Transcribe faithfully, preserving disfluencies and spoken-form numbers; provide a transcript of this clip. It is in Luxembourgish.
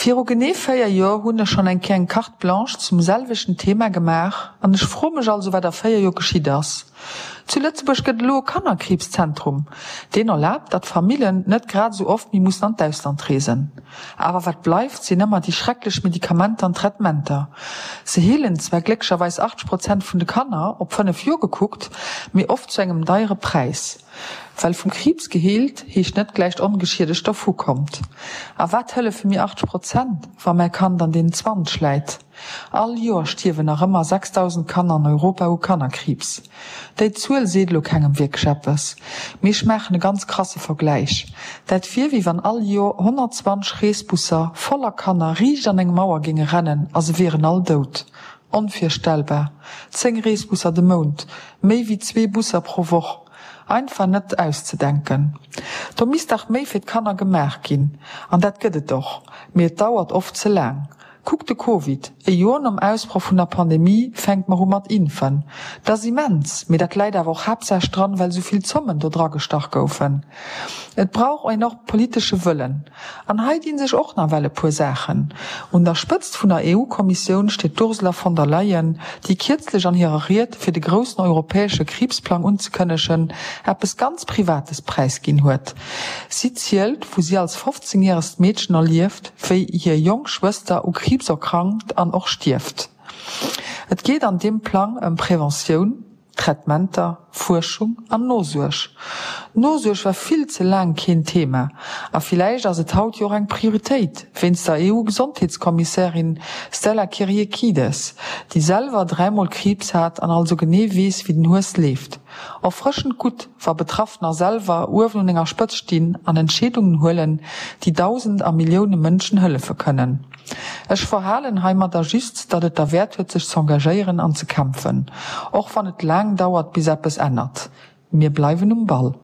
Viru genee véier Joer hunn ech schonn eng Kéier eng Carte blanche zum selwechten Thema gemaach an ech froe mech also, wat a véier Joer geschitt ass. Zu Lëtzebuerg gëtt elo e Kannerkriibszentrum, deen erlaabt, datt Famillen net grad esou oft méi mussen an d'Ausland reesen. Awer wat bleift, sinn ëmmer déi schrecklech Medikamenter an Traitementer. Se heelen zwar glécklecherweis achtzeg Prozent vun de Kanner, op fënnef Joer gekuckt, mee oft zu engem deiere Präis. Well vum Kriibs geheelt heescht net gläich ongeschiedegt dervu kommt. A wat hëllefe mir achtzeg Prozent, wa mäi Kand an deenen zwanzeg läit? All Joer stierwen nach ëmmer sechstausend Kanner an Europa u Kannerkriibs. Déi Zuel seet elo kengem wierklech eppes, mee ech maachen e ganz krasse Vergläich, Dat wier wéi wann all Joer honnertzwanzeg Reesbusser voller Kanner riicht an eng Mauer géinge rennen a se wieren all dout. Onvirstellbar! Zéng Reesbusser de Mount, méi wéi zwee Busser pro Woch. Einfach net auszedenken. Do misst dach méi fir d'Kanner gemaach ginn. An dat gëtt et och, mee et dauert oft ze laang. Kuck de Covid, e Joer nom Ausbroch vun der Pandemie fänke mer u mat impfen. Dat ass immens, mee dat läit awer och haaptsächlech dran, well esou vill Zommen do dragestach goufen. Et brauch een och politesche Wëllen. An hei dinn sech och nawell e puer Saachen. Un der Spëtzt vun der E U-Kommissioun steet d'Ursula von der Leyen, déi kierzlech an hirer Ried, fir de groussen europäesche Kriibsplang unzekënnegen, eppes ganz Privates präisginn huet. Si zielt, wou si als fofzéngjäregt Meedchen erlieft, wéi hir jonk Schwëster u Kriibs erkrankt an och stierft. Et geet an deem Plang ëm Preventioun, Traitementer, Fuerschung an Nosuerg. Nosuerg war vill ze laang keen Thema a villäicht ass et haut jo och eng Prioritéit wéinst der E U-Gesondheetskommissärin Stella Kyriakides, déi selwer dräimol Kriibs hat an also genee weess, wéi den Hues leeft. Erfrëschend gutt, wa Betraffener selwer uewen un enger Spëtzt stinn an Entscheedungen huelen, déi Dausend a Millioune Mënschen hëllefe kënnen. Ech verhalen heimadder just, datt et derwäert huet sech z'engagéieren an ze kämpfen, och wann et laang dauert bis eppes ännert. Mir bleiwen um Ball.